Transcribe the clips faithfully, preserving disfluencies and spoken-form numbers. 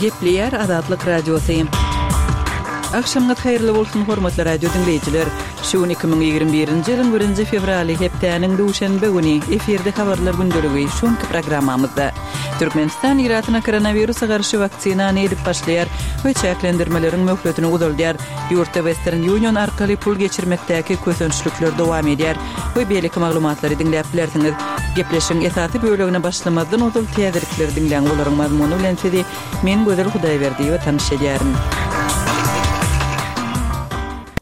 Gepleýär Azatlyk Radiosy. Agşamyňyz haýyrly bolsun, hormatly radio diňleýjiler. Şu gün iki müň ýigrimi birinji ýylyň birinji fewraly, hepdäniň duşenbe güni, efirde habarlar gündeligi şu günki programmamyzda. Türkmenistan ilatyna koronawirusa garşy waksinany edip başlaýar we çäklendirmeleriň möhletini uzaldýar. Ýurtda Western Union arkaly pul geçirmekdäki kösençlikler dowam edýär we beýleki maglumatlary diňläp bilersiňiz. Gepleşigiň esasy bölegine başlamazdan ozal täzelikleri diňläň, olaryň mazmuny bilen sizi men Gözel Hudaýberdiýewa tanyş edýärin.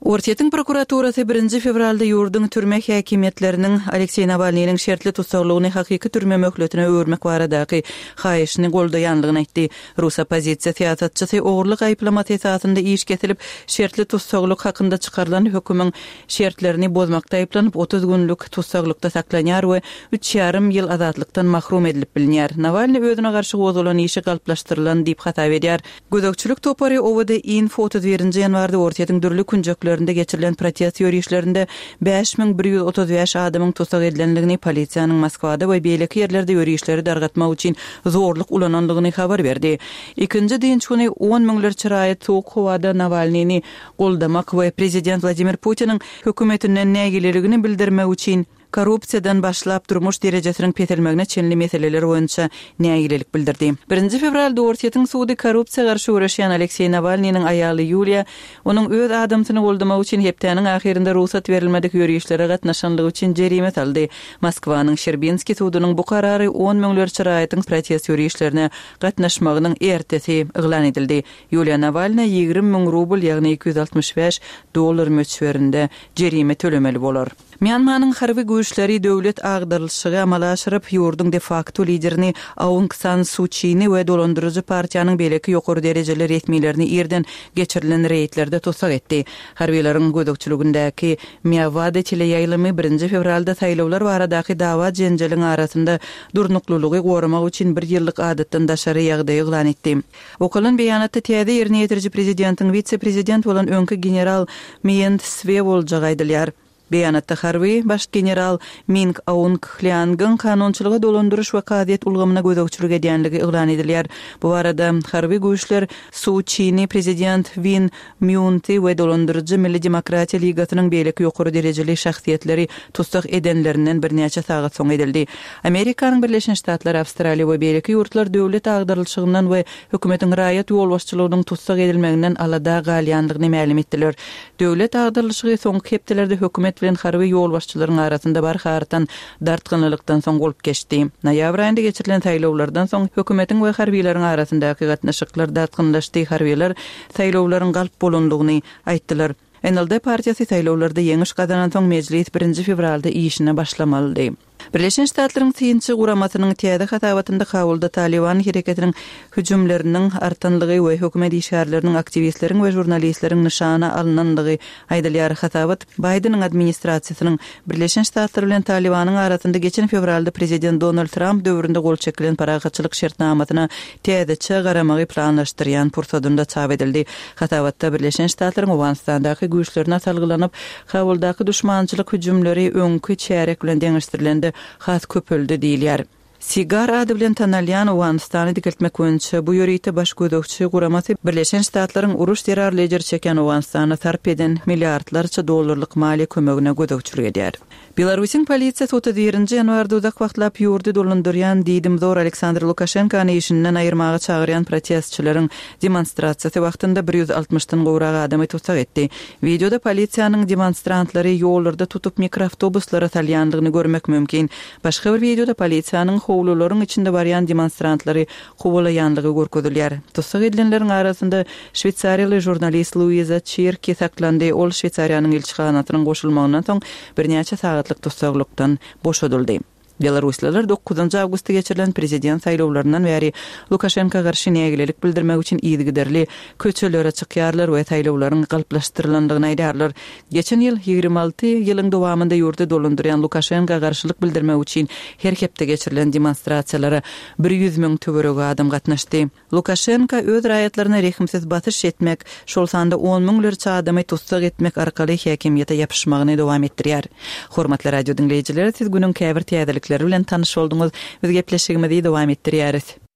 Orsýetiň prokuraturasy birinji fewralda ýurduň türme häkimiýetleriniň Alekseý Nawalnynyň şertli tussaglygyny hakyky türme möhletine öwürmek baradaky haýyşyny goldaýanlygyny aýtdy. Rus oppozisiýa syýasatçysy ogurlyk aýyplamasy esasynda iş kesilip, şertli tussaglyk hakynda çykarylan hökümiň şertlerini bozmakda aýyplanyp, otuz günlük tussaglykda saklanýar we üç ýarym ýyl azatlykdan mahrum edilip bilinýär. Nawalny özüne garşy gozgalan işi galplaşdyrylan diýip hasap edýär. Gözegçilik topary O V D Info otuz birinji ýanwarda Orsýetiň dürli künjeklerinde geçirilen protest ýörişlerinde bäş müň bir ýüz otuz bäş adamyň tussag edilendigini, polisiýanyň Moskwada we beýleki ýerlerde ýörişleri dargatmak üçin zorluk ulanandygyny habar berdi. Ikinji dynç güni on müňlerçe raýat soğuk howada Nawalnyny goldamak we prezident Wladimir Putiniň hökümetinden nägileligini bildirmek üçin korrupsiýadan başlap durmuş derejesiniň peselmegine çenli meseleler boýunça nägilelik bildirdi. Birinji fewralda Orsýetiň sudy korrupsiýa garşy göreşýän Alekseý Nawalnynyň aýaly Ýuliýa onuň öz adamsyny goldamak üçin hepdäniň ahyrynda rugsat berilmedik ýörişlere gatnaşanlygy üçin jerime saldy. Moskwanyň Şerbinskiý sudunyň bu karary on müňlerçe raýatyň protest ýörişlerine gatnaşmagynyň ertesi yglan edildi. Ýuliýa Nawalna ýigrimi müň rubl, ýagny iki ýüz altmyş bäş dollar möçberinde jerime tölemeli bolar. Myanmanyň harby güýçleri döwlet agdarylyşygy amala aşyryp, ýurduň de facto liderini Aung San Suu Çi'ni we dolandyryjy partiýanyň beýleki ýokary derejeli resmilerini irden geçirilen reýdlerde tussag etdi. Harbiýlaryň gözegçiligindäki Mýawada teleýaýlymy birinji fewralda saýlawlar baradaky dawa jenjeliň arasynda durnuklylygy goramak üçin bir ýyllyk adatdan daşary ýagdaýy yglan etdi. Okalan beýanatda täze ýerine ýetiriji prezidentiň wise-prezident bolan öňki general Mient Sve boljagy aýdylýar. Beýanatda harby baş general Ming Aung Hliangyň kanunçylyga dolandyryş we kazyýet ulgamyna gözegçilik edýänligi yglan edilýär. Bu barada harby güýçler Suu Çi'ni prezident Win Myunti we dolandyryjy Milli Demokratiýa Ligasynyň beýleki ýokary derejeli şahsyýetleri tussag edenlerinden birnäçe sagat soň edildi. Amerikanyň Birleşen Ştatlary, Awstraliýa we beýleki ýurtlar döwlet agdarylyşygyndan we hökümetiň raýat ýolbaşçylygynyň tussag edilmeginden alada galýanlygyny mälim etdiler. Döwlet agdarylyşygy soňky hepdelerde hökümet bilen harby ýolbaşçylaryň arasynda barha artan dartgynlylykdan soň bolup geçdi. Noýabr aýynda geçirilen saýlawlardan soň hökümetiň we harbiýlaryň arasyndaky gatnaşyklar dartgynlaşdy. Harbiýlar saýlawlaryň galp bolanlygyny aýtdylar. N L D partiýasy saýlawlarda ýeňiş gazanan soň mejlis birinji fewralda işine başlamalydy. Birleşen Ştatlaryň synçy guramasynyň täze hasabatynda Kabulda Taliban hereketiniň hüjümleriniň artanlygy we hökümet işgärleriniň, aktiwistleriň we žurnalistleriň nyşana alynanlygy aýdylýar. Hasabat Baýdeniň administrasiýasynyň Birleşen Ştatlar bilen Talibanyň arasynda geçen fewralda prezident Donald Trump döwründe gol çekilen parahatçylyk şertnamasyna täzeçe garamagy planlaşdyrýan pursadynda çap edildi. Hasabatda Birleşen Ştatlaryň Owganystandaky güýçlerine salgylanyp, Kabuldaky düşmançylyk hüjümleri öňki çärek bilen deňeşdirilende has köpeldi diýilýär. Sigar ady bilen tanalýan Owganystany dikeltmek boýunça bu ýörite baş gözegçi guramasy Birleşen Ştatlaryň uruş zerarly ejir çeken Owganystana sarp eden milliardlarça dollarlyk maliýe kömegine gözegçilik edýär. Belarusyň polisiýasy otuz birinji ýanwarda uzak wagtlap ýurdy dolandyrýan diýdimzor Aleksandr Lukaşenkany işinden aýyrmaga çagyrýan protestçileriň demonstrasiýasy wagtynda bir ýüz altmyşdan gowrak adamy tussag etdi. Wideoda polisiýanyň demonstrantlary ýollarda tutup mikroawtobuslara salýandygyny görmek mümkin. Başga bir wideoda polisiýanyň howlularyň içinde barýan demonstrantlary kowalaýanlygy görkezilýär. Tussag edilenleriň arasynda Şweýsariýaly žurnalist Luiza Çirki saklandy. Ol Şweýsariýanyň ilçihanasynyň goşulmagyndan soň birnäçe sagatlyk tussaglykdan boşadyldy. Belaruslylar dokuzynjy awgustda geçirilen prezident saýlawlaryndan bäri Lukaşenko garşy nägilelik bildirmek üçin yzygiderli köçelere çykýarlar we saýlawlaryň galplaşdyrylandygyny aýdarlar. Geçen ýyl ýigrimi alty ýylyň dowamynda ýurdy dolandyrýan Lukaşenko garşylyk bildirmek üçin her hepde geçirilen demonstrasiýalara bir ýüz müň töweregi adam gatnaşdy. Lukaşenko öz raýatlaryna rehimsiz basyş etmek, şol sanda on müňlerçe adamy tussag etmek arkaly häkimiýete ýapyşmagyny dowam etdirýär. Hormatly radio diňleýjiler, siz günüň käbir täzelikleri bilen tanyş bolduňyz. Biz gepleşigimizi dowam etdirýäris.